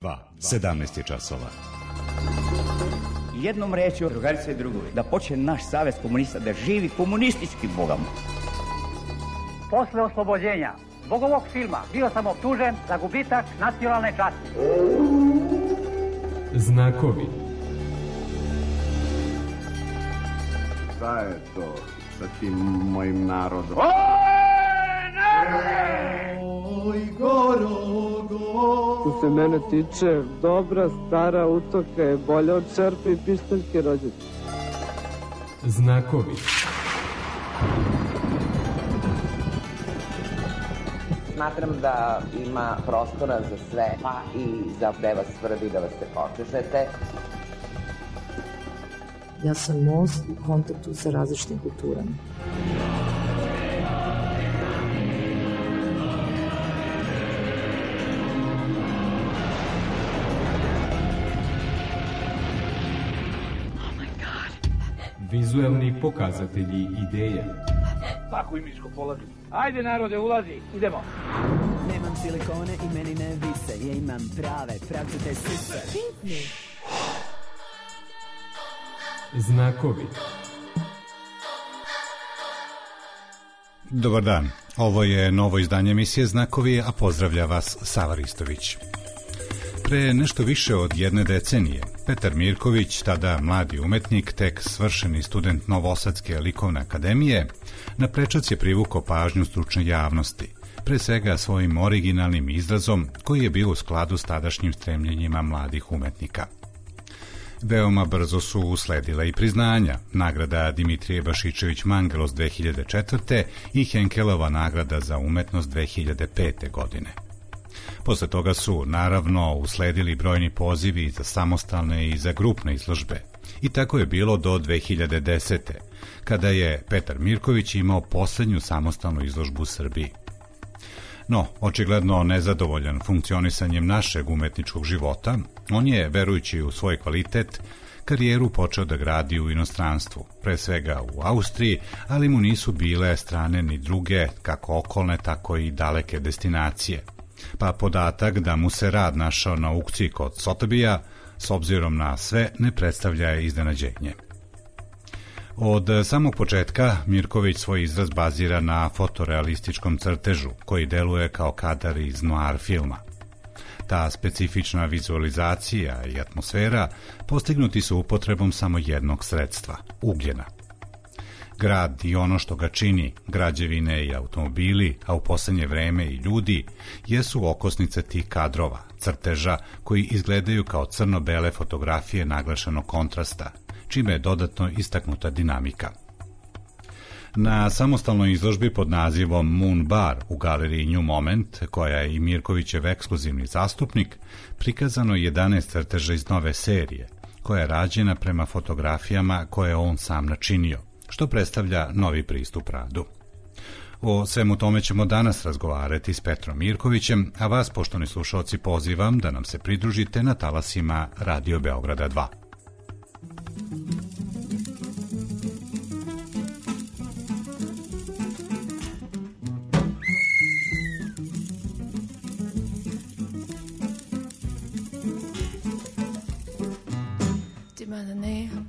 17 je časova. Jednom rečju, drugarice i drugovi, da počne naš savez komunista da živi komunistički bogom. Posle oslobođenja zbog ovog filma bio sam optužen za gubitak nacionalne časti. Znakovi. Šta je to sa tim mojim narodom? Oj, Gorogo! Što se mene tiče, dobra stara utoka je bolja od čerpe i pištaljke rođaka. Znakovi. Smatram da ima prostora za sve, pa i za gde vas svrbi da vas se počešete. Ja sam most u kontaktu sa različitim kulturama. Vizuelni pokazatelji ideje. Paku i miško polazi. Ajde narode, ulazi, idemo. Nemam silikone i meni ne vise, ja imam prave, pravcite sise. Znakovi. Dobar dan, ovo je novo izdanje emisije Znakovi, a pozdravlja vas Sava Ristović. Pre nešto više od jedne decenije, Petar Mirković, tada mladi umetnik, tek svršeni student Novosadske likovne akademije, na prečac je privukao pažnju stručne javnosti, pre svega svojim originalnim izrazom koji je bio u skladu s tadašnjim stremljenjima mladih umetnika. Veoma brzo su usledila i priznanja, nagrada Dimitrije Bašičević-Mangelos 2004. i Henkelova nagrada za umetnost 2005. godine. Posle toga su, naravno, usledili brojni pozivi za samostalne i za grupne izložbe. I tako je bilo do 2010. kada je Petar Mirković imao poslednju samostalnu izložbu u Srbiji. No, očigledno nezadovoljan funkcionisanjem našeg umetničkog života, on je, verujući u svoj kvalitet, karijeru počeo da gradi u inostranstvu, pre svega u Austriji, ali mu nisu bile strane ni druge, kako okolne, tako i daleke destinacije. Pa podatak da mu se rad našao na aukciji kod Sotebija, s obzirom na sve, ne predstavlja iznenađenje. Od samog početka Mirković svoj izraz bazira na fotorealističkom crtežu, koji deluje kao kadar iz noir filma. Ta specifična vizualizacija i atmosfera postignuti su upotrebom samo jednog sredstva, ugljena. Grad i ono što ga čini, građevine i automobili, a u poslednje vreme i ljudi, jesu okosnice tih kadrova, crteža koji izgledaju kao crno-bele fotografije naglašenog kontrasta, čime je dodatno istaknuta dinamika. Na samostalnoj izložbi pod nazivom Moon Bar u galeriji New Moment, koja je i Mirkovićev ekskluzivni zastupnik, prikazano 11 crteža iz nove serije, koja je rađena prema fotografijama koje on sam načinio, što predstavlja novi pristup radu. O svemu tome ćemo danas razgovarati s Petrom Mirkovićem, a vas, poštovani slušalci, pozivam da nam se pridružite na talasima Radio Beograda 2.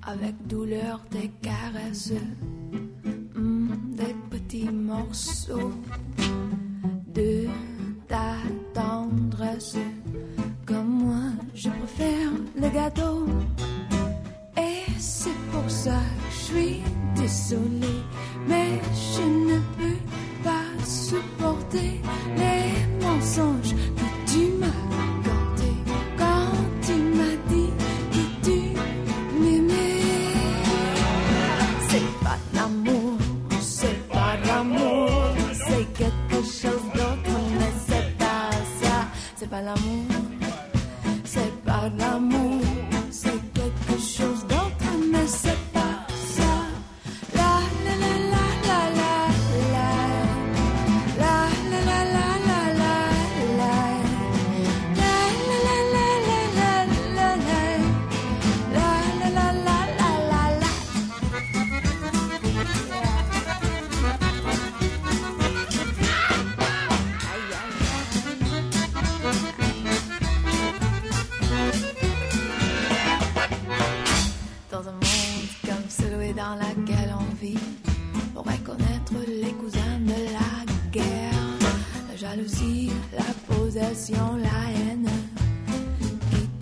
Avec douleur des caresses, des petits morceaux de ta tendresse. Comme moi, je préfère le gâteau. Et c'est pour ça que je suis désolée, mais je ne peux pas supporter les mensonges que tu m'as racontés quand tu m'as dit que tu m'aimais. C'est pas l'amour, c'est quelque chose d'autre, mais c'est pas ça. C'est pas l'amour, c'est pas l'amour, c'est quelque chose d'autre, mais c'est pas ça. La la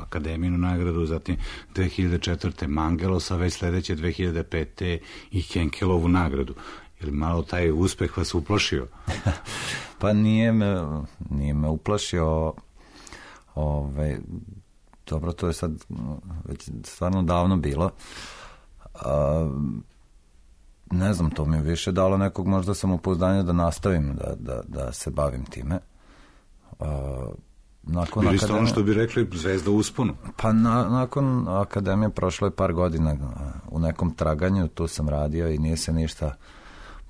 Akademijinu nagradu, zatim 2004. Mangelosa, već sledeće 2005. i Henkelovu nagradu. Je li malo taj uspeh vas uplašio? Pa nije me uplašio. Dobro, to je sad već stvarno davno bilo. Ne znam, to mi je više dalo nekog možda samopouzdanja da nastavim da se bavim time. Bili ste ono što bi rekli zvezda u usponu? Pa nakon akademije prošlo je par godina u nekom traganju, tu sam radio i nije se ništa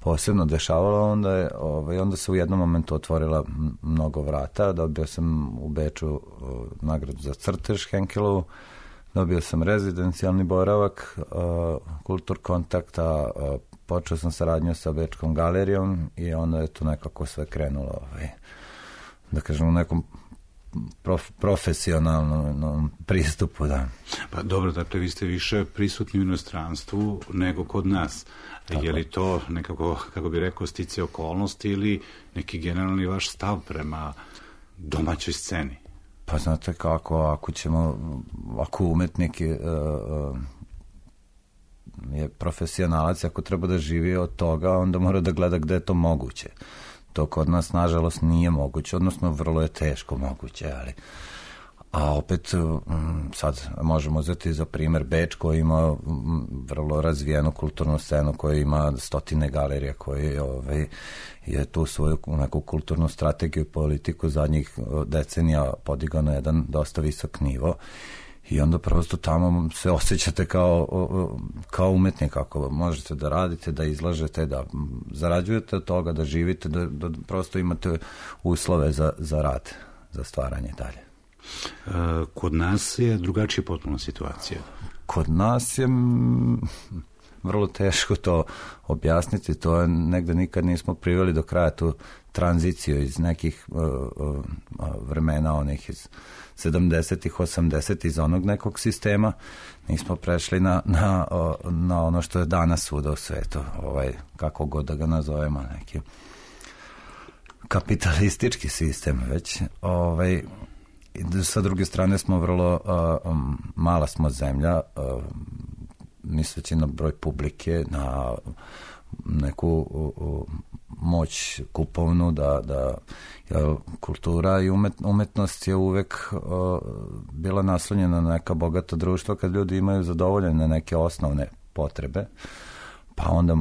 posebno dešavalo, onda se u jednom momentu otvorila mnogo vrata, dobio sam u Beču nagradu za crtež Henkelovu, dobio sam rezidencijalni boravak, kultur kontakta, počeo sam saradnju sa Bečkom galerijom i onda je to nekako sve krenulo, da kažem, u nekom profesionalnom pristupu, da. Pa dobro, dakle, vi ste više prisutni u inostranstvu nego kod nas. Je li to nekako, kako bi rekao, stice okolnosti ili neki generalni vaš stav prema domaćoj sceni? Pa znate kako, ako umetnik je profesionalac, ako treba da živi od toga, onda mora da gleda gde je to moguće. To kod nas, nažalost, nije moguće, odnosno vrlo je teško moguće, a opet sad možemo uzeti za primer Beč koji ima vrlo razvijenu kulturnu scenu, koja ima stotine galerija, koji je tu svoju neku kulturnu strategiju i politiku zadnjih decenija podigao na jedan dosta visok nivo. I onda prosto tamo se osjećate kao umetnik, ako možete da radite, da izlažete, da zarađujete od toga, da živite, da prosto imate uslove za rad, za stvaranje dalje. Kod nas je drugačija potpuno situacija. Kod nas je vrlo teško to objasniti, to je negde nikad nismo priveli do kraja tu tranziciju iz nekih vremena, onih iz 70-ih, 80-ih, iz onog nekog sistema, nismo prešli na ono što je danas svuda u svetu, kako god da ga nazovemo, neki kapitalistički sistem već. Sa druge strane smo vrlo mala smo zemlja, misleći na broj publike, na neku moć kupovnu, da kultura i umetnost je uvek bila naslonjena na neka bogata društva kad ljudi imaju zadovoljene neke osnovne potrebe, pa onda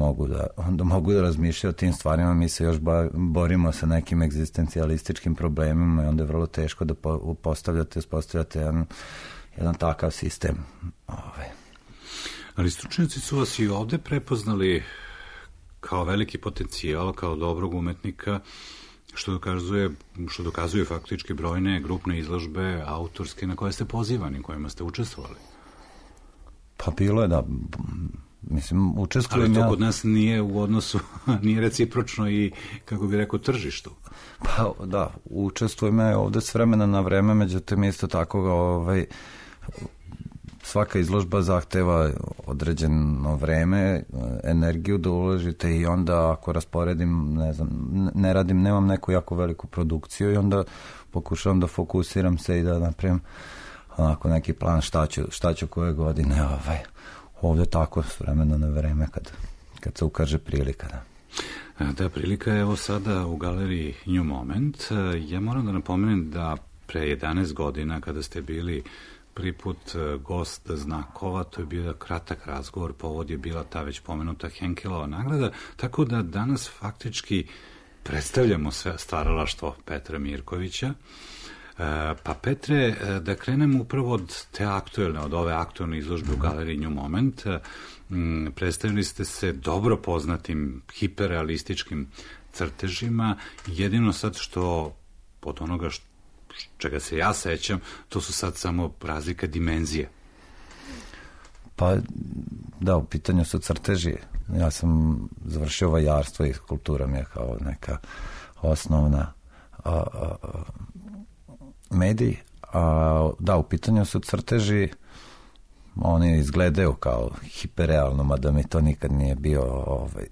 mogu da razmišljaju o tim stvarima. Mi se još borimo sa nekim egzistencijalističkim problemima i onda je vrlo teško da uspostavljate jedan takav sistem. Ali stručnjaci su vas i ovde prepoznali kao veliki potencijal, kao dobrog umetnika, što dokazuje faktički brojne grupne izložbe autorske na koje ste pozivani, kojima ste učestvovali. Pa bilo je, da. Mislim, učestvujem. Ali to kod nas nije u odnosu, nije recipročno i, kako bi rekao, tržištu. Pa da, učestvujem ja ovde s vremena na vreme, međutim isto tako svaka izložba zahteva određeno vreme, energiju da uložite i onda ako rasporedim, ne radim, nemam neku jako veliku produkciju i onda pokušavam da fokusiram se i da napravim onako neki plan šta ću koje godine ovde tako s vremena na vreme kad se ukaže prilika. Da, prilika je evo sada u galeriji New Moment. Ja moram da napomenem da pre 11 godina kada ste bili prvi put gost Znakova, to je bio kratak razgovor, povod je bila ta već pomenuta Henkelova nagrada, tako da danas faktički predstavljamo sve stvaralaštvo Petra Mirkovića. Pa Petre, da krenemo upravo od ove aktuelne izložbe u galeriji New Moment. Predstavili ste se dobro poznatim hiperrealističkim crtežima, jedino sad što od onoga čega se ja sećam, to su sad samo razlika dimenzije. Pa da, u pitanju su crteži. Ja sam završio vajarstvo i kultura mi je kao neka osnovna medij. Da, u pitanju su crteži, oni izgledaju kao hiperrealno, mada mi to nikad nije bio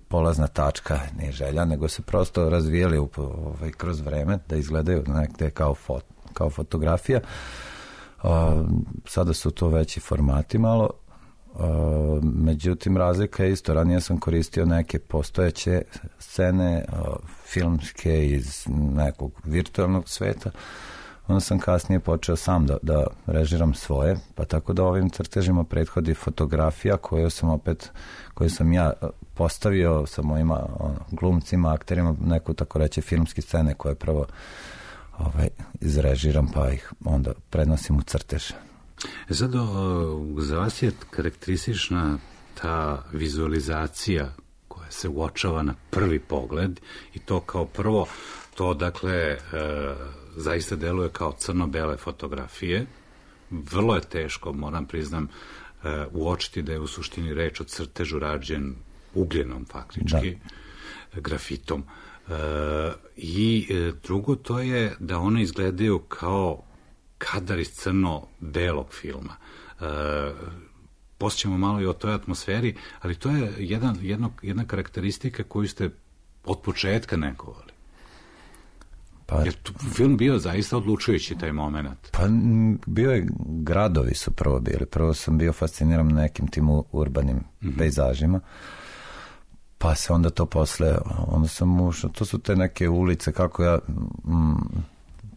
polazna tačka, nije želja, nego se prosto razvijali kroz vreme da izgledaju nekde kao fotografija. Sada su to veći formati malo, međutim razlika je isto, ranije sam koristio neke postojeće scene filmske iz nekog virtualnog sveta, onda sam kasnije počeo sam da režiram svoje, pa tako da ovim crtežima prethodi fotografija koju sam ja postavio sa mojima glumcima, akterima, neku tako reći filmski scene koje prvo izrežiram pa ih onda prenosim u crtež. Zato za vas je karakteristična ta vizualizacija koja se uočava na prvi pogled i to kao prvo, to dakle zaista deluje kao crno-bele fotografije. Vrlo je teško, moram priznam, uočiti da je u suštini reč o crtežu rađen ugljenom faktički, grafitom. I drugo to je da one izgledaju kao kadar iz crno-belog filma. Posjećamo malo i o toj atmosferi, ali to je jedna karakteristika koju ste od početka negovali. Jer film bio zaista odlučujući taj moment. Pa bio je, gradovi su prvo bili. Prvo sam bio fasciniran nekim tim urbanim pejzažima. Pa se onda to posle, onda sam ušao, to su te neke ulice, kako ja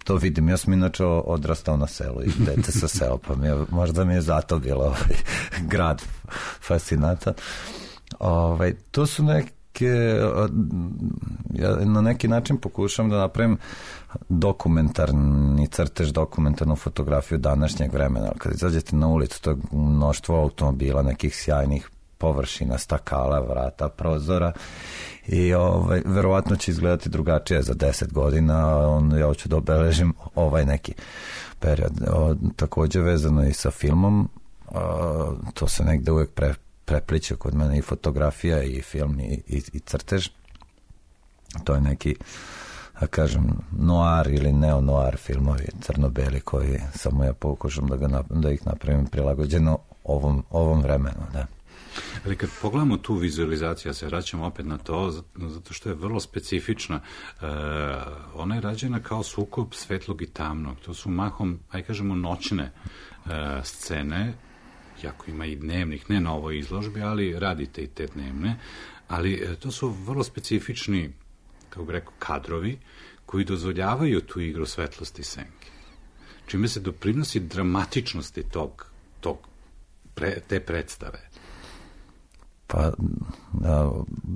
to vidim. Ja sam inače odrastao na selu i dete sa sela, pa možda mi je zato bilo grad fascinatan. To su ja na neki način pokušam da napravim dokumentarni crtež, dokumentarnu fotografiju današnjeg vremena. Kad izađete na ulicu, to je mnoštvo automobila, nekih sjajnih površina, stakala, vrata, prozora i verovatno će izgledati drugačije za 10 godina, ja hoću da obeležim neki period. Također vezano i sa filmom, to se negde uvek prepliče kod mene, i fotografija i film i crtež. To je neki, da kažem, noir ili neo-noir filmovi, crno-beli, koji samo ja pokušam da ih napravim prilagođeno ovom vremenu, da. Ali kad pogledamo tu vizualizaciju, ja se vraćam opet na to, zato što je vrlo specifična. Ona je rađena kao sukob svetlog i tamnog. To su mahom, kažemo, noćne scene, jako ima i dnevnih, ne na ovoj izložbi, ali radite i te dnevne, ali to su vrlo specifični, kako bi rekao, kadrovi koji dozvoljavaju tu igru svetlosti i senke. Čime se doprinosi dramatičnosti te predstave. Pa,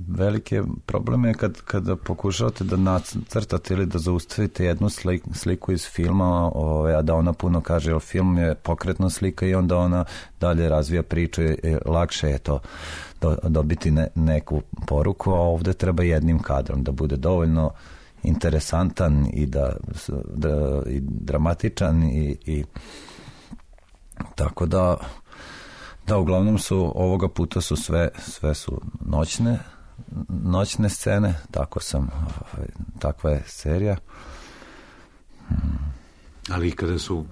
veliki problem je kada pokušavate da nacrtate ili da zaustavite jednu sliku iz filma, a da ona puno kaže, jer film je pokretna slika i onda ona dalje razvija priču i lakše je to dobiti neku poruku, a ovde treba jednim kadrom da bude dovoljno interesantan i i dramatičan i tako da uglavnom su ovoga puta su sve su noćne scene, takva je serija. Ali kada su,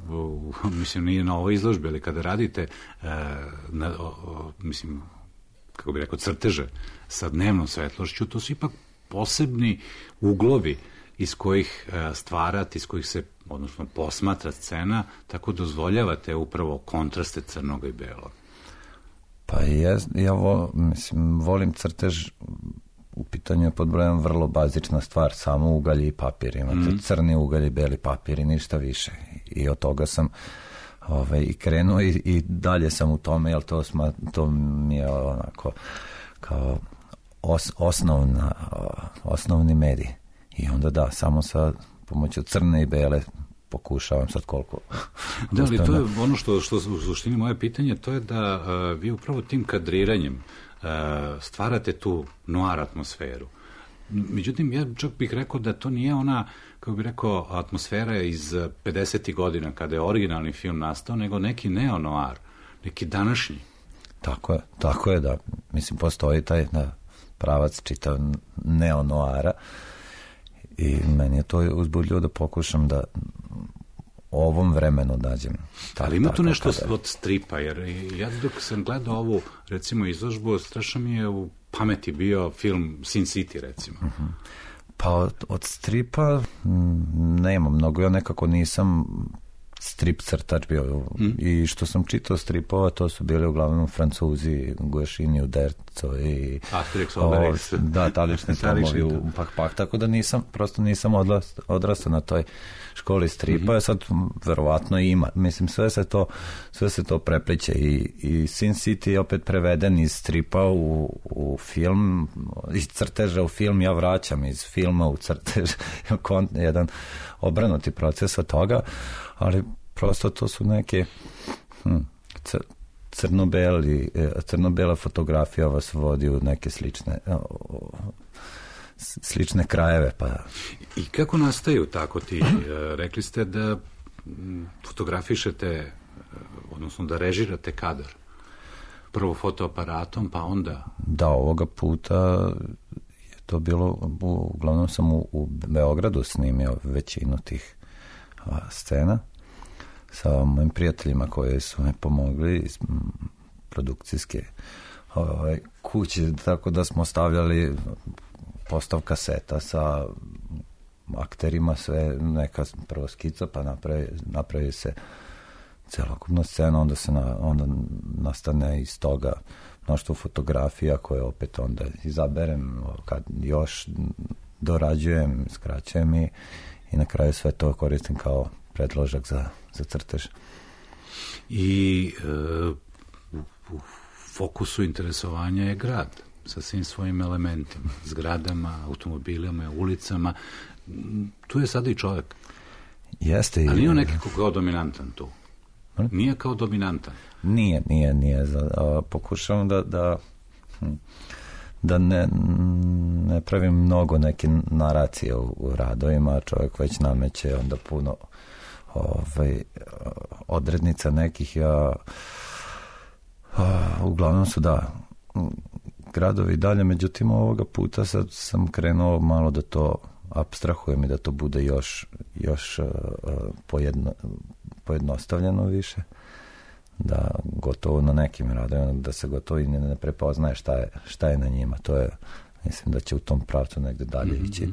mislim, nije na ovoj izložbi, ali kada radite mislim, kako bi rekao, crteže sa dnevnom svetlošću, to su ipak posebni uglovi iz kojih stvarate, iz kojih se, odnosno, posmatra scena, tako dozvoljavate upravo kontraste crnog i belog. Pa ja volim crtež, u pitanju je pod brojem vrlo bazična stvar, samo ugalj i papir. Imate crni ugalj i beli papir i ništa više. I od toga sam i krenuo i dalje sam u tome, jer to mi je onako kao osnovni medij. I onda samo sa pomoću crne i bele pokušavam sad koliko. Da, ali to je ono što u suštini moje pitanje, to je da vi upravo tim kadriranjem stvarate tu noir atmosferu. Međutim, ja čak bih rekao da to nije ona, kako bih rekao, atmosfera iz 50. godina kada je originalni film nastao, nego neki neo-noir, neki današnji. Tako je, da. Mislim, postoji taj pravac čitav neo-noira i meni je to uzbudljivo da pokušam da ovom vremenu nađem. Ali ima tu nešto od stripa, jer ja dok sam gledao ovu, recimo, izložbu, strašno mi je u pameti bio film Sin City, recimo. Pa od stripa nema mnogo, ja nekako nisam strip crtač bio. I što sam čitao stripova, to su bili uglavnom Francuzi, Guašini, Uderzo i Asterix, Obelix. Da, talični tomovi u Pak, tako da nisam odrastao na toj školi stripa, sad verovatno ima. Mislim, sve se to prepliče i Sin City je opet preveden iz stripa u film, iz crteža u film, ja vraćam iz filma u crtež, jedan obrnuti proces od toga, ali prosto to su neke crno-bela fotografija vas vodi u neke slične krajeve. Pa. I kako nastaju tako ti? Rekli ste da fotografišete, odnosno da režirate kadar. Prvo fotoaparatom, pa onda... Da, ovoga puta je to bilo, uglavnom sam u Beogradu snimio većinu tih scena sa mojim prijateljima koji su mi pomogli iz produkcijske kuće, tako da smo stavljali postav kaseta sa akterima, sve neka prvo skica, pa napravi se celokupna scena, onda nastane iz toga mnoštvo fotografija koje opet onda izaberem, kad još dorađujem, skraćujem i na kraju sve to koristim kao predložak za crtež. I u fokusu interesovanja je grad sa svim svojim elementima, zgradama, automobilima, ulicama. Tu je sada i čovjek. Jeste. Ali nije on neki kao dominantan tu? Nije kao dominantan? Nije. Pokušavam da ne pravim mnogo neke naracije u radovima, čovjek već nameće onda puno odrednica nekih. Uglavnom su gradovi dalje, međutim ovoga puta sad sam krenuo malo da to apstrahujem i da to bude još pojednostavljeno više, da gotovo na nekim radovima da se gotovo i ne prepoznaje šta je na njima. To je, mislim da će u tom pravcu negde dalje ići.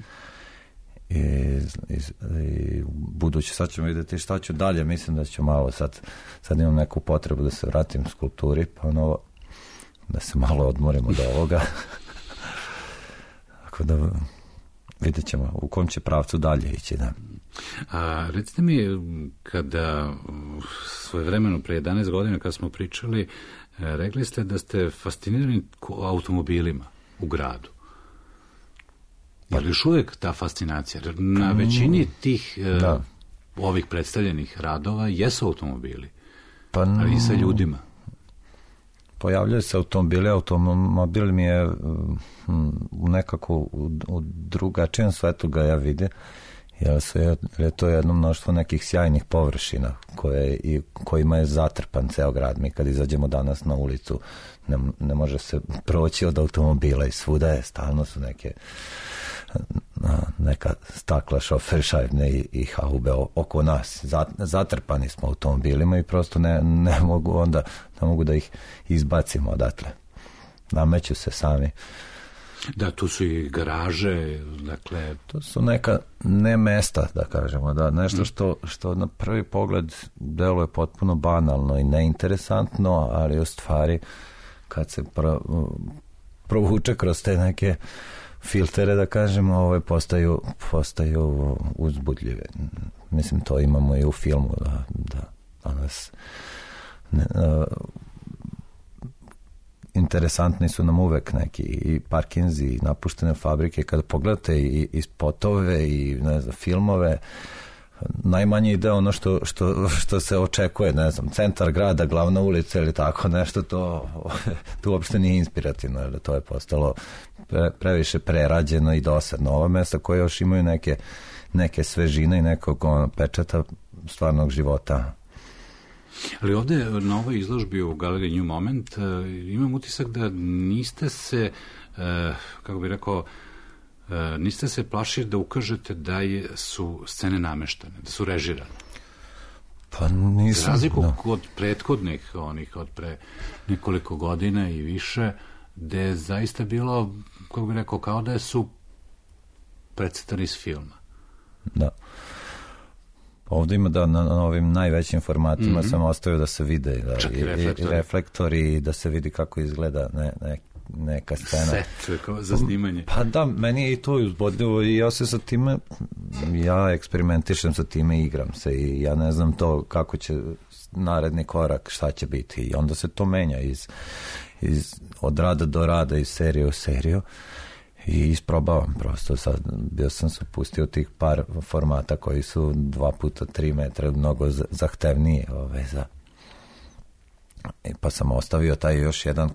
I budući, sad ćemo vidjeti šta ću dalje, mislim da ću malo sad imam neku potrebu da se vratim skulpturi, pa da se malo odmorim od ovoga. Tako da vidjet ćemo u kom će pravcu dalje ići. Da. A recite mi, kada svojevremeno pre 11 godina kad smo pričali, rekli ste da ste fascinirani automobilima u gradu. Je li još uvijek ta fascinacija? Na većini tih ovih predstavljenih radova jesu automobili, ali i sa ljudima. Pojavljaju se automobili, automobil mi je nekako u drugačijem svetu ga ja vidim, jer je to jedno mnoštvo nekih sjajnih površina kojima je zatrpan ceo grad. Mi kad izađemo danas na ulicu ne može se proći od automobila i svuda je, stalno su neka stakla, šoferšajbne i haube oko nas. Zatrpani smo automobilima i prosto ne mogu da ih izbacimo odatle. Nameću se sami. Da, tu su i garaže, dakle... To su neka ne mesta, da kažemo, da, nešto što na prvi pogled deluje potpuno banalno i neinteresantno, ali u stvari kad se provuče kroz te neke filtere, da kažemo, postaju uzbudljive. Mislim, to imamo i u filmu, da danas interesantni su nam uvek neki i parkinzi i napuštene fabrike. Kada pogledate i spotove i filmove, najmanje ide ono što se očekuje, ne znam, centar grada, glavna ulica ili tako nešto, to uopšte nije inspirativno, jer to je postalo previše prerađeno i dosadno. Ova mesta koje još imaju neke svežine i nekog pečata stvarnog života. Ali ovdje na ovoj izložbi u galeriji New Moment imam utisak da niste se, kako bih rekao, niste se plašili da ukažete da su scene nameštane, da su režirane. Pa nisam. Za razliku od prethodnih, onih od pre nekoliko godina i više, gde je zaista bilo, kako bih rekao, kao da su predstavljeni iz filma. Da. Ovdje ima da na ovim najvećim formatima sam ostavio da se vide i reflektori, da se vidi kako izgleda neka scena. Set za snimanje. Pa da, meni je i to uzbudljivo i ja se sa time, ja eksperimentišem sa time, igram se i ja ne znam to kako će naredni korak, šta će biti i onda se to menja od rada do rada, iz serije u seriju i isprobavam prosto. Sad bio sam se pustio tih par formata koji su 2x3 metra mnogo zahtevniji pa sam ostavio taj još jedan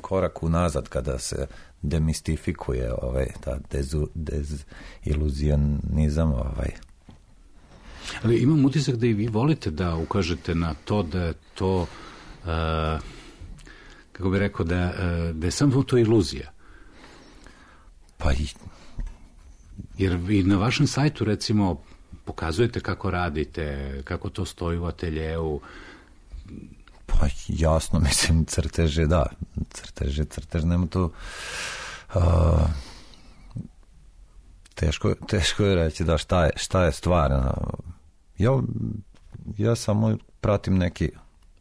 korak unazad kada se demistifikuje ta deziluzionizam. Ali imam utisak da i vi volite da ukažete na to da je to kako bih rekao, da je samo to iluzija. Pa jer i na vašem sajtu recimo pokazujete kako radite, kako to stoji u ateljeu. Pa jasno, mislim, crteže, da. Crtež, nema to... Teško je reći da šta je stvar. Ja samo pratim neki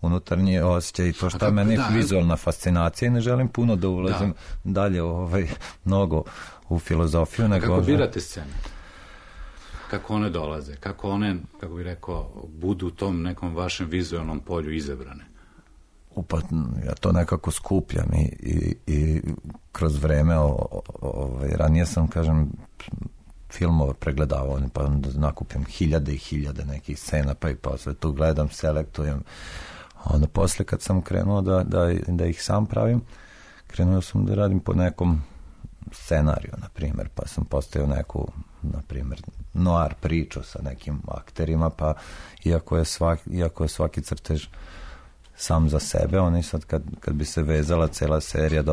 unutarnji osjećaj i to šta je meni vizualna fascinacija i ne želim puno da ulazim dalje mnogo u filozofiju. Kako birate scene? Kako one dolaze? Kako one, kako bih rekao, budu u tom nekom vašem vizualnom polju izabrane? Pa ja to nekako skupljam i kroz vreme ranije sam, kažem, filmove pregledavao, pa onda nakupim hiljade i hiljade nekih scena, pa i posle tu gledam, selektujem. Onda posle kad sam krenuo da ih sam pravim, krenuo sam da radim po nekom scenariju, na primjer, pa sam postavio neku, na primjer, noir priču sa nekim akterima, pa iako je svaki crtež sam za sebe, oni sad kad bi se vezala cela serija,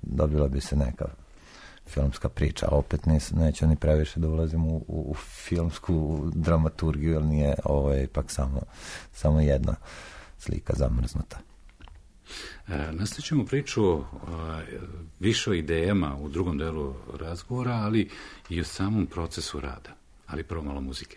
dobila bi se neka filmska priča, a opet neću ni previše da ulazim u filmsku dramaturgiju, jer nije, ovo je ipak samo jedna slika zamrznuta. Nastavit ćemo priču više o idejama u drugom delu razgovora, ali i o samom procesu rada. Ali prvo malo muzike.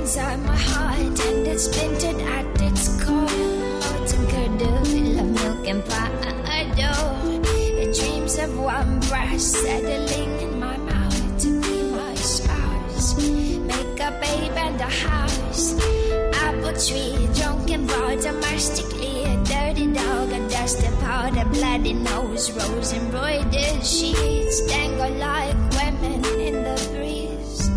Inside my heart, and it's splintered at its core. Molten curdle, love milk and pie. The dreams of one brush settling in my mouth to be my spouse. Make a babe and a house. Apple tree, drunken bar, domestically a dirty dog, a dusty powder, bloody nose, rose embroidered sheets dangle like women in the breeze.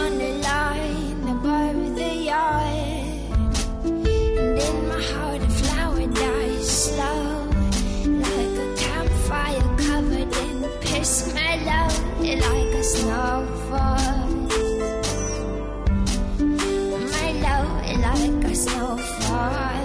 On the line above the yard, and in my heart a flower dies slow, like a campfire covered in piss mellow, like a snowfall, mellow like a snowfall.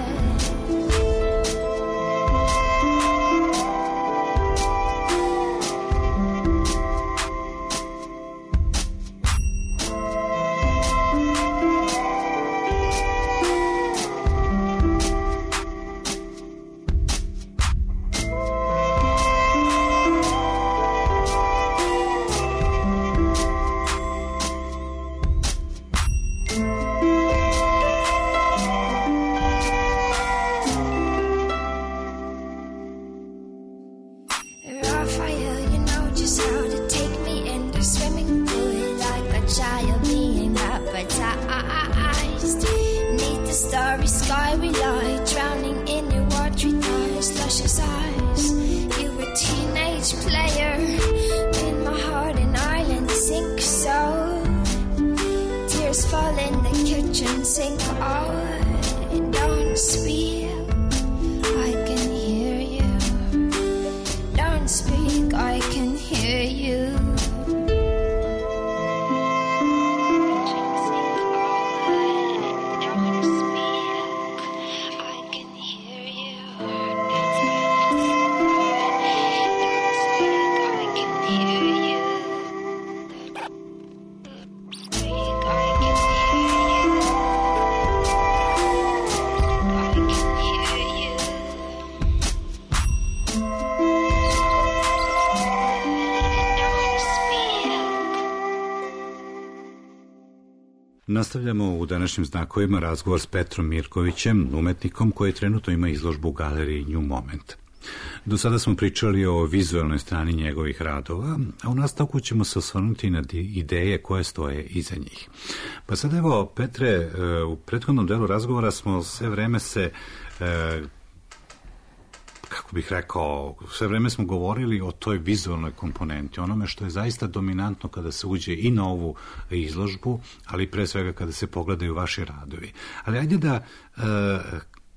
Nastavljamo u današnjim znakovima razgovor s Petrom Mirkovićem, umetnikom koji trenutno ima izložbu u galeriji New Moment. Do sada smo pričali o vizualnoj strani njegovih radova, a u nastavku ćemo se osvrnuti na ideje koje stoje iza njih. Pa sad evo, Petre, u prethodnom delu razgovora smo sve vreme se, kako bih rekao, sve vreme smo govorili o toj vizualnoj komponenti, onome što je zaista dominantno kada se uđe i na ovu izložbu, ali pre svega kada se pogledaju vaši radovi. Ali ajde da...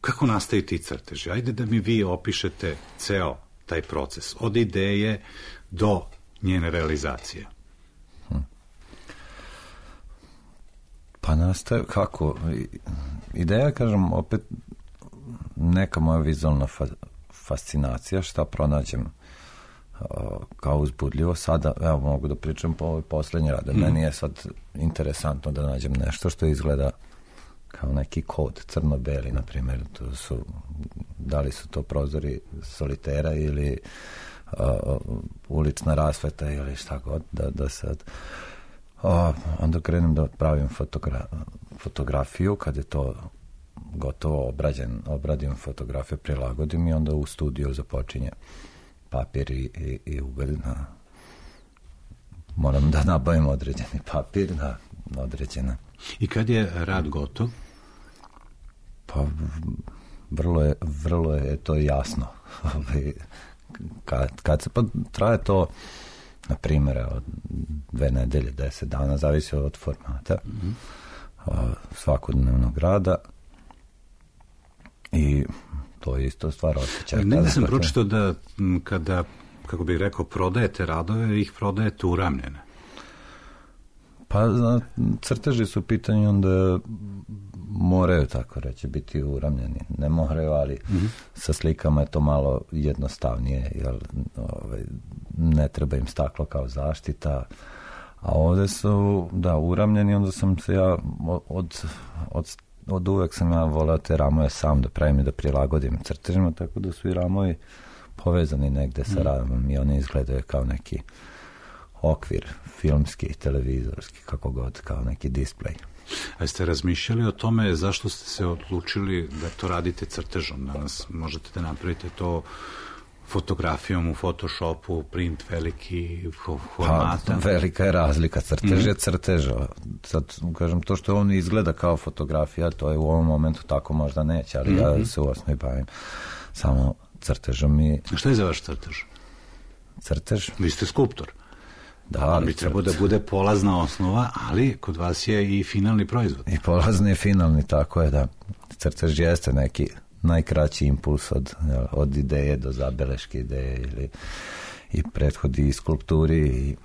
Kako nastaju ti crteži? Ajde da mi vi opišete ceo taj proces, od ideje do njene realizacije. Pa nastaje, kako? Ideja, kažem, opet neka moja vizualna fascinacija, šta pronađem kao uzbudljivo. Sada, evo, mogu da pričam po ovoj poslednji rade. Meni je sad interesantno da nađem nešto što izgleda kao neki kod, crno-beli, na primjer, da li su to prozori solitera ili ulična rasveta ili šta god, da sad onda krenem da pravim fotografiju, kad je to gotovo obradim fotografiju, prilagodim i onda u studiju započinje papir i ugalj. Moram da nabavim određeni papir na određena. I kad je rad gotov? Pa vrlo je to jasno. Kad se pa traje to, na primjer, od 2 nedelje, 10 dana, zavisi od formata svakodnevnog rada i to je isto stvar osjećaja. Negde sam pročitao da kada, kako bih rekao, prodajete radove, ih prodajete uramljene. Pa crteži su pitanje, onda moraju, tako reći, biti uramljeni. Ne moraju, ali sa slikama je to malo jednostavnije, jer ne treba im staklo kao zaštita. A ovde su, uramljeni, onda sam se ja od uvek sam ja voleo te ramove sam da pravim i da prilagodim crtežima, tako da su i ramovi povezani negde sa ramom i oni izgledaju kao neki okvir, filmski, televizorski, kako god, kao neki displej. A ste razmišljali o tome zašto ste se odlučili da to radite crtežom? Danas možete da napravite to fotografijom u Photoshopu, print veliki formata. Pa, velika je razlika, crtež je crteža. Sad, kažem, to što on izgleda kao fotografija, to je u ovom momentu tako možda neće, ali ja se u osnovi bavim samo crtežom i... A šta je za vaš crtež? Crtež? Vi ste skulptor. Da, on bi trebao da bude polazna osnova, ali kod vas je i finalni proizvod. I polazni i finalni, tako je, da. Crtež jeste neki najkraći impuls od ideje do zabeleške ideje ili i prethodi i skulpturi i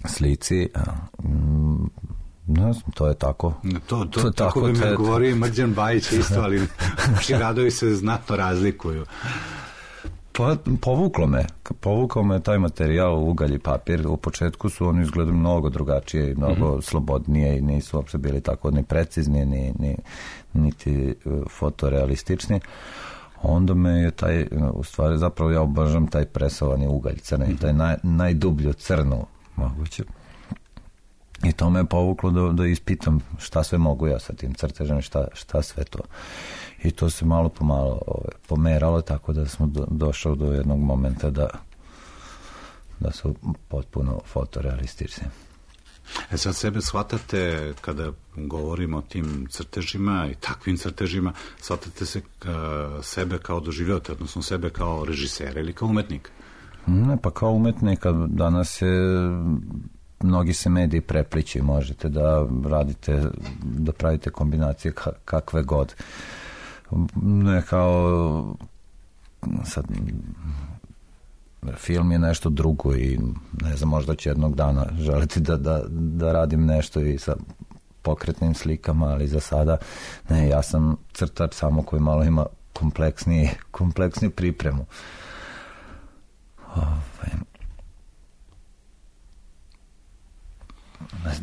slici. Ne znam, to je tako. To tako bi me govorio Mrđan Bajić isto, ali naši radovi se znatno razlikuju. Povuklo me taj materijal, ugalj i papir. U početku su oni izgledali mnogo drugačije i mnogo slobodnije i nisu uopšte bili tako ni precizni, niti fotorealistični. Onda me je taj, u stvari, zapravo ja obožavam taj presovani ugalj crni, taj najdublju crnu moguće. I to me je povuklo da ispitam šta sve mogu ja sa tim crtežem, šta sve to. I to se malo po malo pomeralo, tako da smo došao do jednog momenta da su potpuno fotorealistični. Sad sebe shvatate, kada govorimo o tim crtežima i takvim crtežima, shvatate se sebe kao doživljavate, odnosno sebe kao režisera ili kao umetnika? Ne, pa kao umetnika danas je... Mnogi se mediji prepliči, možete da radite, da pravite kombinacije kakve god. Ne kao sad film je nešto drugo i ne znam, možda će jednog dana želiti da radim nešto i sa pokretnim slikama, ali za sada ne, ja sam crtač samo koji malo ima kompleksniju pripremu.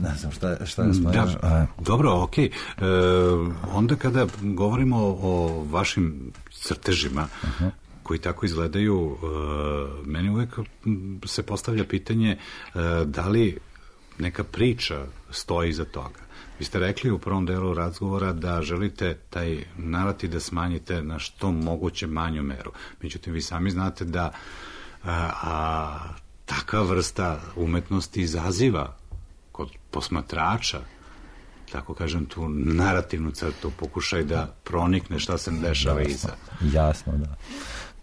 Ne znam šta smo još... Dobro, okej. Onda kada govorimo o vašim crtežima, koji tako izgledaju, meni uvek se postavlja pitanje da li neka priča stoji iza toga. Vi ste rekli u prvom delu razgovora da želite taj narativ da smanjite na što moguće manju meru. Međutim, vi sami znate da takva vrsta umetnosti izaziva kod posmatrača, tako kažem, tu narativnu crtu, pokušaj da pronikne šta se dešava iza. Jasno, da.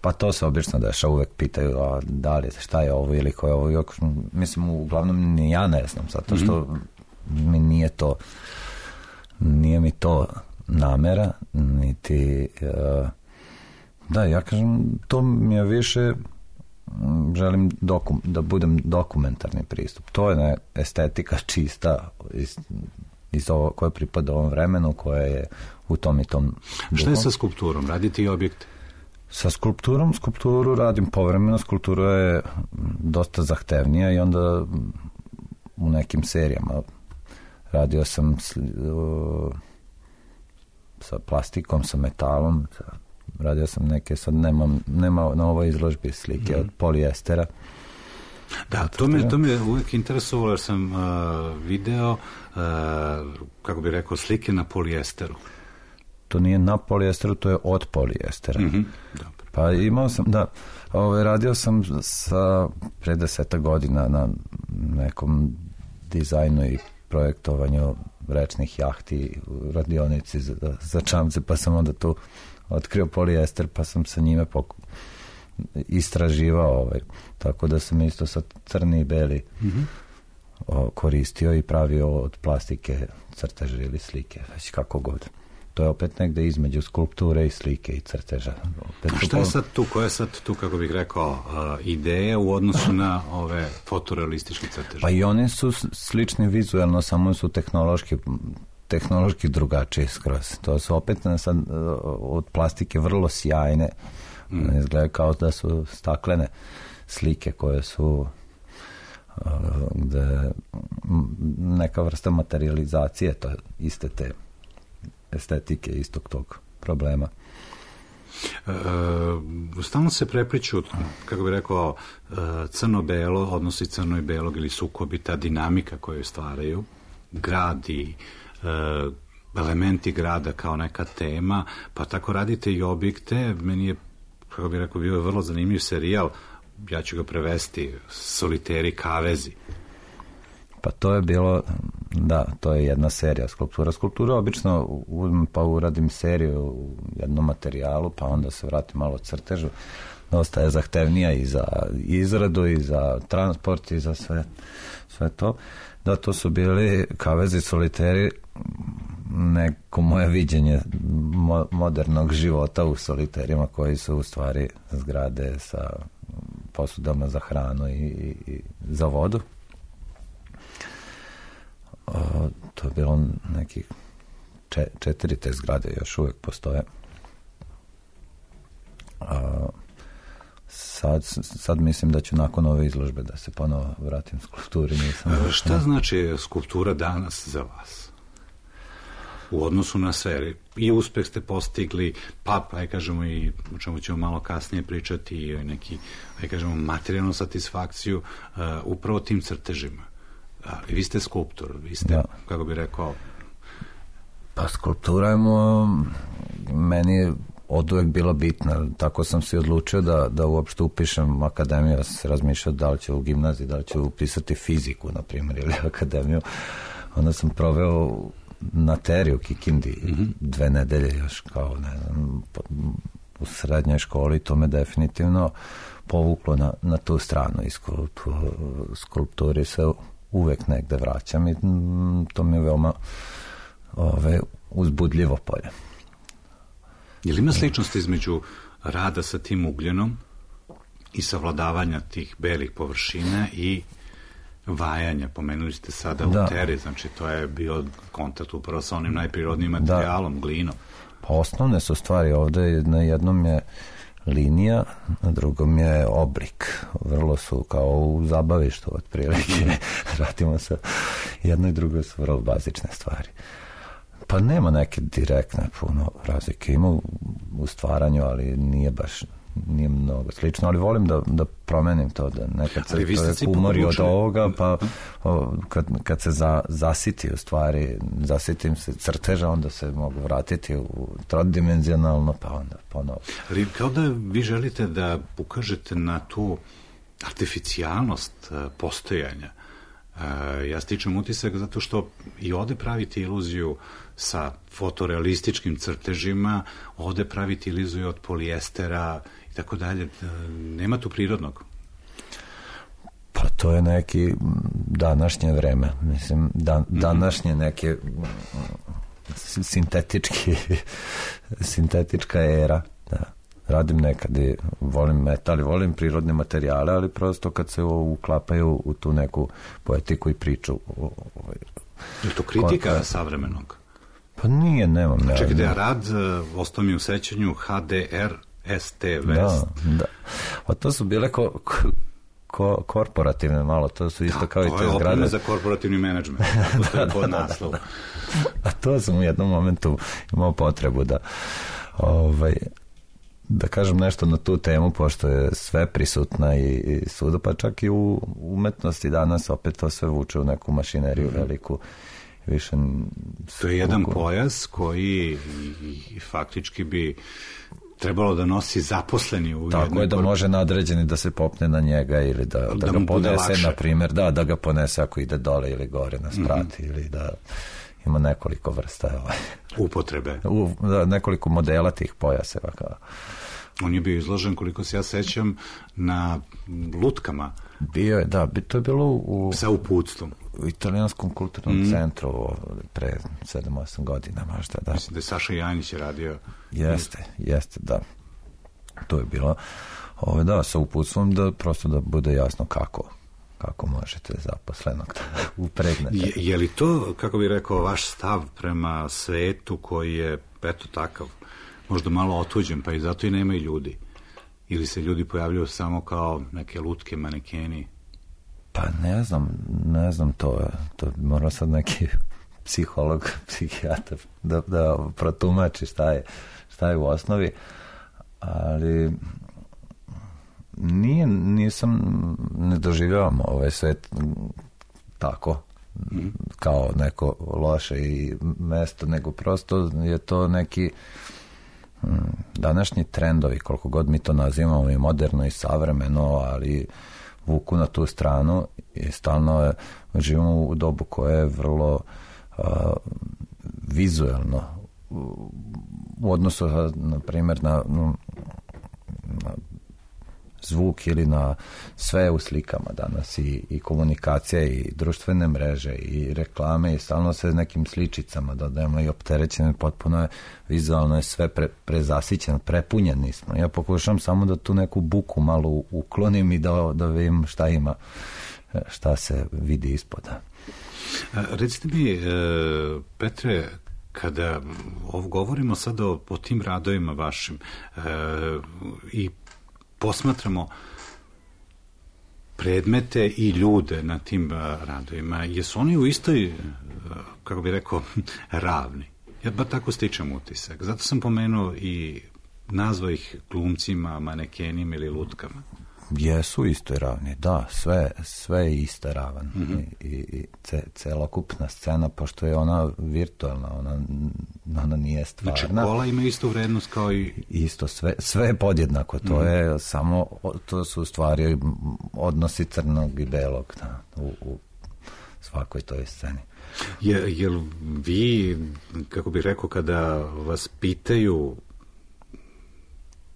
Pa to se obično dešava, uvek pitaju da li, šta je ovo ili ko je ovo. Mislim, uglavnom ni ja ne znam, zato što mi nije mi to namera, niti da, ja kažem, to mi je više, želim da budem dokumentarni pristup. To je estetika čista iz ovo koje pripada ovom vremenu, koje je u tom i tom duhom. Šta je sa skulpturom? Radite i objekte? Sa skulpturu radim povremeno. Skulptura je dosta zahtevnija i onda u nekim serijama radio sam sa plastikom, sa metalom, radio sam neke, sad nema na ovoj izložbi slike od polijestera. Da, to me uvijek interesovalo, jer sam video, kako bih rekao, slike na polijesteru. To nije na polijesteru, to je od polijestera. Pa imao sam, radio sam pre 10 godina na nekom dizajnu i projektovanju rečnih jahti u radionici za čamce, pa sam onda tu otkrio polijester, pa sam sa njime istraživao, tako da sam isto sa crni i beli koristio i pravio od plastike crteže ili slike, već kako god. To je opet negde između skulpture i slike i crteža. A šta je sad tu, koja je sad tu, kako bih rekao, ideja u odnosu na ove fotorealističke crteže? Pa i oni su slični vizuelno, samo su tehnološki drugačiji skroz. To su opet sad od plastike vrlo sjajne. Izgleda kao da su staklene slike koje su gde neka vrsta materializacije, to iste te estetike, istog tog problema. Stalno se prepliču, kako bih rekao, crno-belo, odnosi crno i belog ili sukobi, ta dinamika koju stvaraju, grad i elementi grada kao neka tema, pa tako radite i objekte. Meni je, kako bih rekao, bio je vrlo zanimljiv serijal, ja ću ga prevesti, Soliteri kavezi. Pa to je bilo, da, to je jedna serija skulptura. Skulptura obično pa uradim seriju u jednom materijalu, pa onda se vratim malo crtežu. Dosta je zahtevnija i za izradu, i za transport, i za sve to. Da, to su bili kavezi, soliteri, neko moje viđenje modernog života u soliterima, koji su u stvari zgrade sa posudama za hranu i za vodu. To je bilo nekih 4 te zgrade, još uvijek postoje. Sad mislim da ću nakon ove izložbe da se ponovo vratim skulpturi. Šta znači skulptura danas za vas? U odnosu na sve. I uspeh ste postigli, pa kažemo, i o čemu ćemo malo kasnije pričati, i neki, kažemo, materijalnu satisfakciju upravo tim crtežima. I vi ste skulptor, vi ste, kako bi rekao... Pa skulptura je meni od uvek bila bitna, tako sam se odlučio da uopšte upišem akademiju. Ja sam se razmišljao da li ću u gimnaziji, da li ću upisati fiziku, na primjer, ili akademiju. Onda sam proveo na Teri u Kikindi 2 nedelje još, kao, ne znam, u srednjoj školi. To me definitivno povuklo na tu stranu, i skulpturi se uvek negde vraćam, i to mi je veoma uzbudljivo polje. Je li ima sličnosti između rada sa tim ugljenom i savladavanja tih belih površina i vajanja? Pomenuli ste sada u Teri, znači to je bio kontakt upravo sa onim najprirodnijim materijalom, glinom. Pa osnovne su stvari ovde, na jednom je linija, na drugom je oblik. Vrlo su kao u zabavištu otprilike. Radimo sa jedno i drugo su vrlo bazične stvari. Pa nema neke direktne puno razlike. Ima u stvaranju, ali nije baš nije mnogo slično, ali volim da promenim to, da nekad se čovjek umori od ovoga, pa kad se zasiti u stvari, zasitim se crteža, onda se mogu vratiti u trodimenzionalno, pa onda ponovo. Ali kao da vi želite da ukažete na tu artificijalnost postojanja. Ja stičem utisak zato što i ovde pravite iluziju sa fotorealističkim crtežima, ovde pravite iluziju od polijestera i tako dalje. Nema tu prirodnog. Pa to je neki današnje vreme. Mislim, današnje neke sintetička era. Da. Radim nekad i volim metal i volim prirodne materijale, ali prosto kad se uklapaju u tu neku poetiku i priču. Je to kritika savremenog? Pa nije, nemam. Čekajte, rad, ostao mi u sećanju HDR ST West. Da. A to su bile korporativne malo, to su isto kao i te zgrade. To je opreme za korporativni menadžment. To je pod naslov. A to sam u jednom momentu imao potrebu da kažem nešto na tu temu, pošto je sve prisutna i svuda, pa čak i u umetnosti danas opet to sve vuče u neku mašineriju veliku. Više to je jedan pojas koji faktički bi trebalo da nosi zaposleni u tako je, da može nadređeni da se popne na njega ili da ga ponese, na primjer, da ga ponese ako ide dole ili gore na sprati, ili da ima nekoliko vrsta upotrebe. Nekoliko modela tih pojaseva. On je bio izložen, koliko se ja sećam, na lutkama. Bio je, da, to je bilo sa uputstvom. U Italijanskom kulturnom centru pre 7-8 godina možda, da. Mislim da je Saša Janjić radio. Jeste, da. To je bilo, da, sa uputstvom, da prosto da bude jasno kako možete zaposlenog upregnete. Je li to, kako bih rekao, vaš stav prema svetu koji je, eto takav, možda malo otuđen, pa i zato i nema i ljudi? Ili se ljudi pojavljaju samo kao neke lutke, manekeni? Pa ne znam to mora sad neki psiholog, psihijatar da protumači šta je u osnovi, ali ne doživljavam ovaj svet tako kao neko loše i mesto, nego prosto je to neki današnji trendovi, koliko god mi to nazivamo i moderno i savremeno, ali vuku na tu stranu i stalno živimo u dobu koje je vrlo vizuelno u odnosu na primjer na zvuk ili na sve u slikama danas i komunikacija i društvene mreže i reklame i stalno se nekim sličicama dodajemo i opterećeno, potpuno je vizualno je sve prezasićeno, prepunjeni smo. Ja pokušam samo da tu neku buku malo uklonim i da vidim šta ima, šta se vidi ispoda. Recite mi, Petre, kada govorimo sada o tim radovima vašim i posmatramo predmete i ljude na tim radovima, jesu oni u istoj, kako bih rekao, ravni? Ja ba tako stičem utisak. Zato sam pomenuo i nazvao ih glumcima, manekenima ili lutkama. Jesu istoj ravni, da, sve je ista ravan. I celokupna scena, pošto je ona virtualna, ona nije stvarna. Znači, kola ima istu vrednost kao i... Isto, sve je podjednako, to je samo, to su u stvari odnosi crnog i belog u svakoj toj sceni. Jel vi, kako bih rekao, kada vas pitaju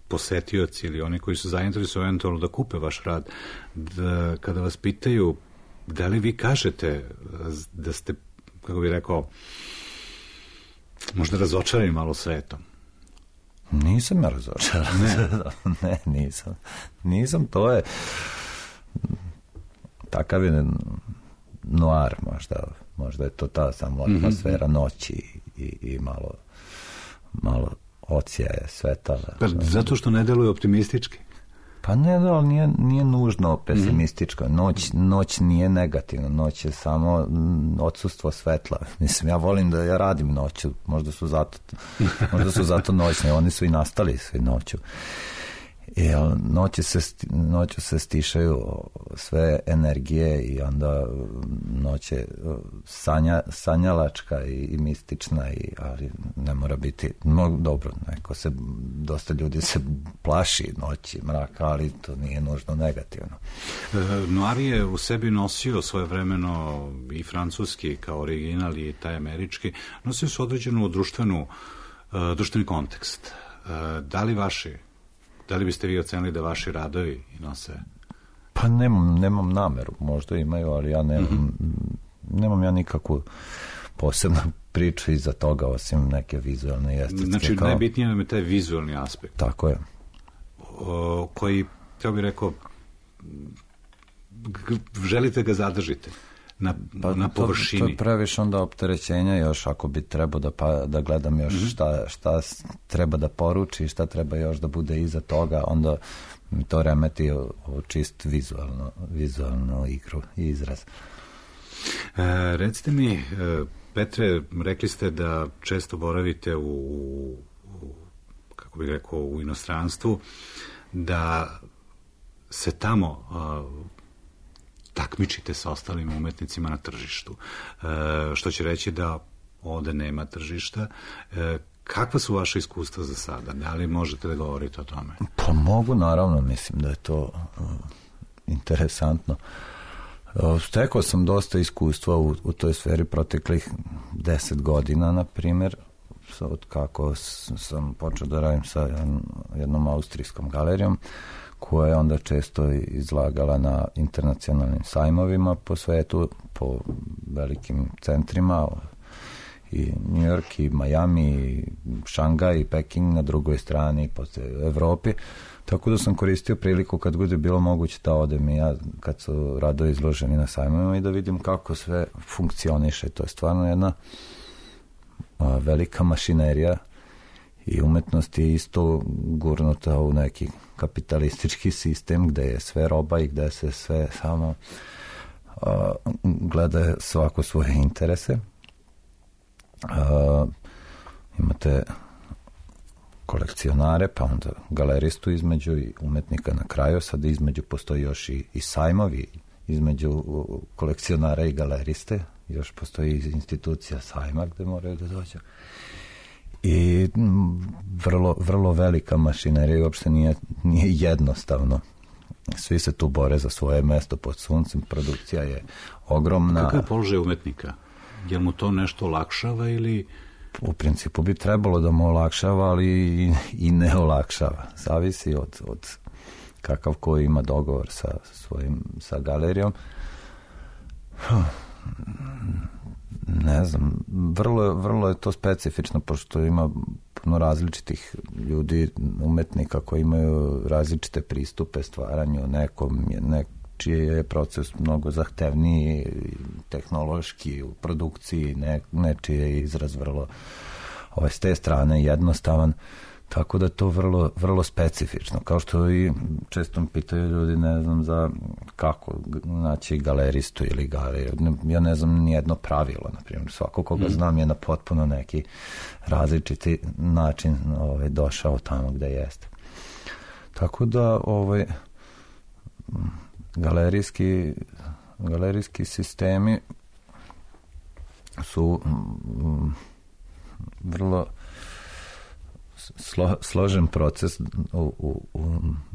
posetioci ili oni koji su zainteresovani eventualno da kupe vaš rad, kada vas pitaju, da li vi kažete da ste, kako bih rekao, možda razočarani malo svetom? Nisam ja razočaran. Ne, nisam, to je takav je noir možda je to ta samo atmosfera noći i malo odsjaje sveta. Pa zato što ne deluje optimistički? Pa ne, ali nije nužno pesimističko. Noć nije negativna. Noć je samo odsustvo svetla. Mislim, ja volim da ja radim noću. Možda su zato noćni. Oni su i nastali svi noću. noću se stišaju sve energije i onda noć je sanjalačka i mistična, ali ne mora biti dobro. Dosta ljudi se plaši noći, mraka, ali to nije nužno negativno. Noir je u sebi nosio svojevremeno i francuski kao original i taj američki, nosio su određenu društveni kontekst. Da li biste vi ocenili da vaši radovi nose? Pa nemam nameru, možda imaju, ali ja nemam ja nikakvu posebnu priču iza toga, osim neke vizualne i estetske. Znači, najbitnije nam je taj vizualni aspekt. Tako je. Koji, ja bih rekao, želite ga zadržite na površini. To je previše onda opterećenja još, ako bi trebao da gledam još šta treba da poruči, šta treba još da bude iza toga, onda mi to remeti o čist vizualnu igru i izraz. Recite mi, Petre, rekli ste da često boravite kako bih rekao, u inostranstvu, da se tamo takmičite sa ostalim umetnicima na tržištu. Što će reći da ovde nema tržišta. Kakva su vaše iskustva za sada? Da li možete da govorite o tome? Pa mogu, naravno, mislim da je to interesantno. Stekao sam dosta iskustva u toj sferi proteklih 10 godina, na primjer, od kako sam počeo da radim sa jednom austrijskom galerijom, koja je onda često izlagala na internacionalnim sajmovima po svetu, po velikim centrima, i New York, i Miami, i Šangaj, i Peking na drugoj strani, po Evropi. Tako da sam koristio priliku kad bude bilo moguće da odem i ja, kad su radovi izloženi na sajmovima, i da vidim kako sve funkcioniše. To je stvarno jedna velika mašinerija i umetnost je isto gurnuta u neki kapitalistički sistem gde je sve roba i gde se sve samo gleda svako svoje interese. Imate kolekcionare, pa onda galeristu između i umetnika na kraju, sad između postoji još i sajmovi između kolekcionara i galeriste, još postoji institucija sajma gde moraju da dođu. I vrlo velika mašinerija, uopšte nije jednostavno. Svi se tu bore za svoje mesto pod suncem, produkcija je ogromna. Kakav je položaj umetnika? Jel mu to nešto olakšava ili... U principu bi trebalo da mu olakšava, ali i ne olakšava. Zavisi od kakav ko ima dogovor sa galerijom. Ne znam, vrlo je to specifično, pošto ima puno različitih ljudi, umetnika koji imaju različite pristupe stvaranju, čiji je proces mnogo zahtevniji tehnološki u produkciji, nečiji je izraz vrlo s te strane jednostavan, tako da je to vrlo specifično. Kao što i često mi pitaju ljudi, ne znam za kako naći galeristu ili galeriju. Ja ne znam nijedno pravilo, na primjer. Svako koga znam je na potpuno neki različiti način došao tamo gde jeste. Tako da galerijski sistemi su vrlo složen proces u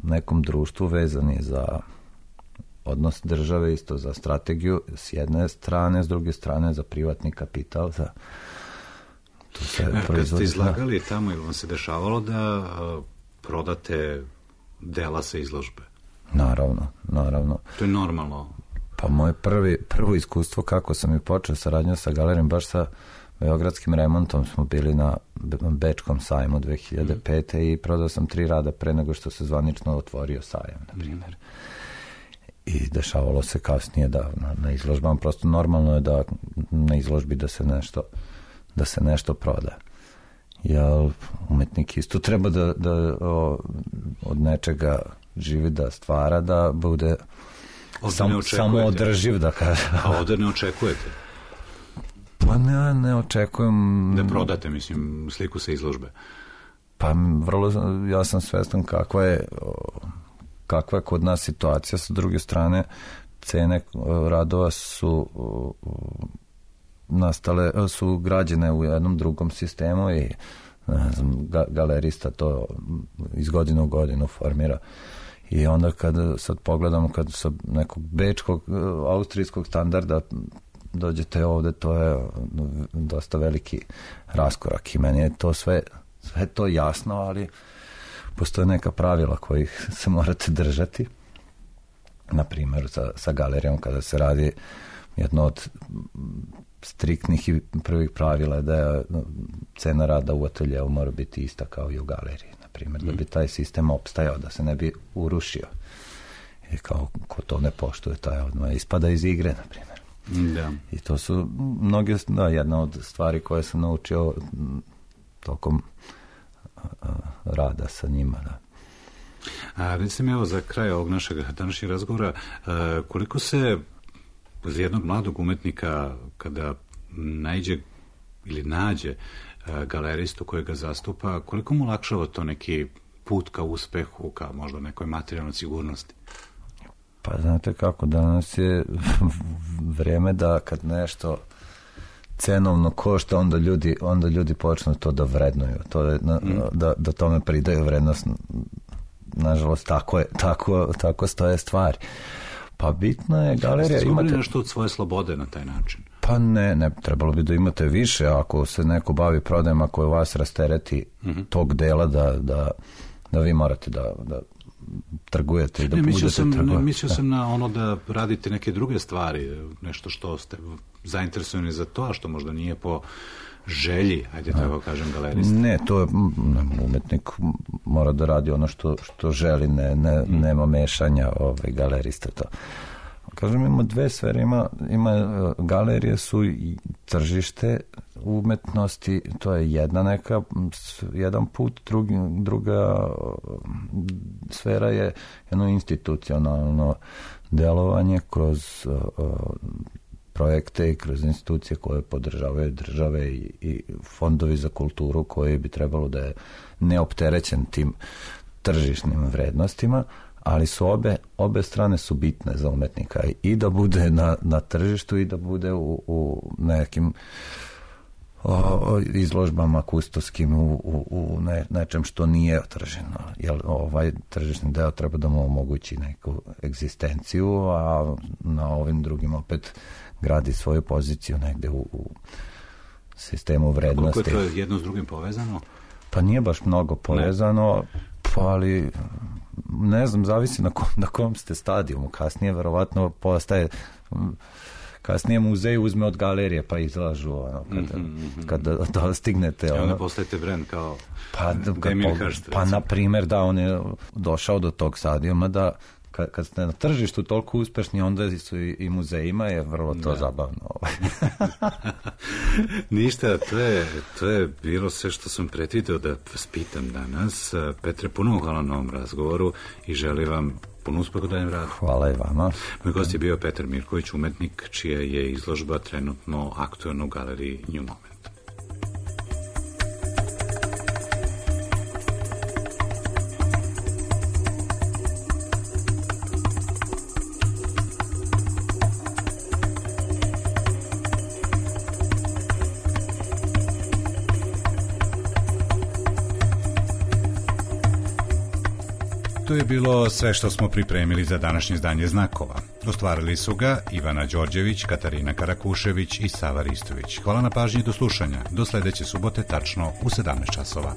nekom društvu, vezan je za odnos države, isto za strategiju s jedne strane, s druge strane za privatni kapital, za to se proizvodi. Kad ste izlagali tamo, ili vam se dešavalo da prodate dela sa izložbe? Naravno. To je normalno. Pa moje prvo iskustvo kako sam i počeo saradnju sa galerijom, baš sa Beogradskim remontom, smo bili na Bečkom sajmu 2005. i prodao sam 3 rada pre nego što se zvanično otvorio sajam, na primjer. I dešavalo se kasnije da na izložbama, prosto normalno je da na izložbi da se nešto proda. Jer umetnik isto treba da od nečega živi, da stvara, da bude samo održiv, da kaže. A ovdje ne očekujete? Pa ne očekujem... Da prodate, mislim, sliku sa izložbe? Pa ja sam svestan kakva je kakva je kod nas situacija. Sa druge strane, cene radova su su građene u jednom drugom sistemu i galerista to iz godine u godinu formira. I onda kad sad pogledamo, kad sa nekog bečkog, austrijskog standarda dođete ovde, to je dosta veliki raskorak i meni je to sve to jasno, ali postoje neka pravila kojih se morate držati. Na primjer, sa galerijom kada se radi, jedno od striktnih i prvih pravila je da je cena rada u ateljeu mora biti ista kao i u galeriji, na primjer, da bi taj sistem opstajao, da se ne bi urušio. I kao ko to ne poštuje, taj odmah ispada iz igre, na primjer. Da. I to su mnoge, jedna od stvari koje sam naučio tokom rada sa njima. Da. Recite mi, evo, za kraj ovog našeg današnjeg razgovora, koliko se uz jednog mladog umetnika, kada naiđe ili nađe galeristu koji ga zastupa, koliko mu olakšava to neki put ka uspehu, ka možda nekoj materijalnoj sigurnosti? Pa znate kako, danas je vreme da kad nešto cenovno košta, onda ljudi počnu to da vrednuju, to je, da tome pridaju vrednost. Nažalost, tako stoje stvari. Pa bitno je galerija. Ste izgubili nešto od svoje slobode na taj način? Pa ne, trebalo bi da imate više, ako se neko bavi prodajem, ako je vas rastereti tog dela da vi morate da trgujete i da budete trgovati. Mislio sam na ono da radite neke druge stvari, nešto što ste zainteresovani za to, a što možda nije po želji, ajde tako kažem, galerista. Ne, to je, umetnik mora da radi ono što želi, nema mešanja galerista to. Kažem, ima dve sfere, ima galerije su i tržište umetnosti, to je jedan put, druga sfera je jedno institucionalno delovanje kroz projekte i kroz institucije koje podržavaju države i fondovi za kulturu koji bi trebalo da je neopterećen tim tržišnim vrednostima, ali su obe strane su bitne za umetnika i da bude na tržištu i da bude u nekim izložbama kustoskim u nečem što nije otrženo. Jer ovaj tržišni deo treba da mu omogući neku egzistenciju, a na ovim drugim opet gradi svoju poziciju negde u sistemu vrednosti. A koliko je to jedno s drugim povezano? Pa nije baš mnogo povezano, ali ne znam, zavisi na kom ste stadijumu. Kasnije verovatno postaje, kasnije muzej uzme od galerije pa izlažu kada dostignete. Onda postajete brend kao Damien Hirst. Pa na primjer da on je došao do tog stadijuma da kad ste na tržištu toliko uspešni, onda su i muzejima je vrlo to zabavno. Ništa, to je bilo sve što sam predvideo da vas pitam danas. Petre, puno hvala na ovom razgovoru i želim vam puno uspeha u daljem radu. Hvala i vama. Moj gost je bio Petar Mirković, umetnik čija je izložba trenutno aktuelna u galeriji New Moment. To je bilo sve što smo pripremili za današnje izdanje Znakova. Ostvarili su ga Ivana Đorđević, Katarina Karakušević i Sava Ristović. Hvala na pažnji i do slušanja. Do sledeće subote tačno u 17 časova.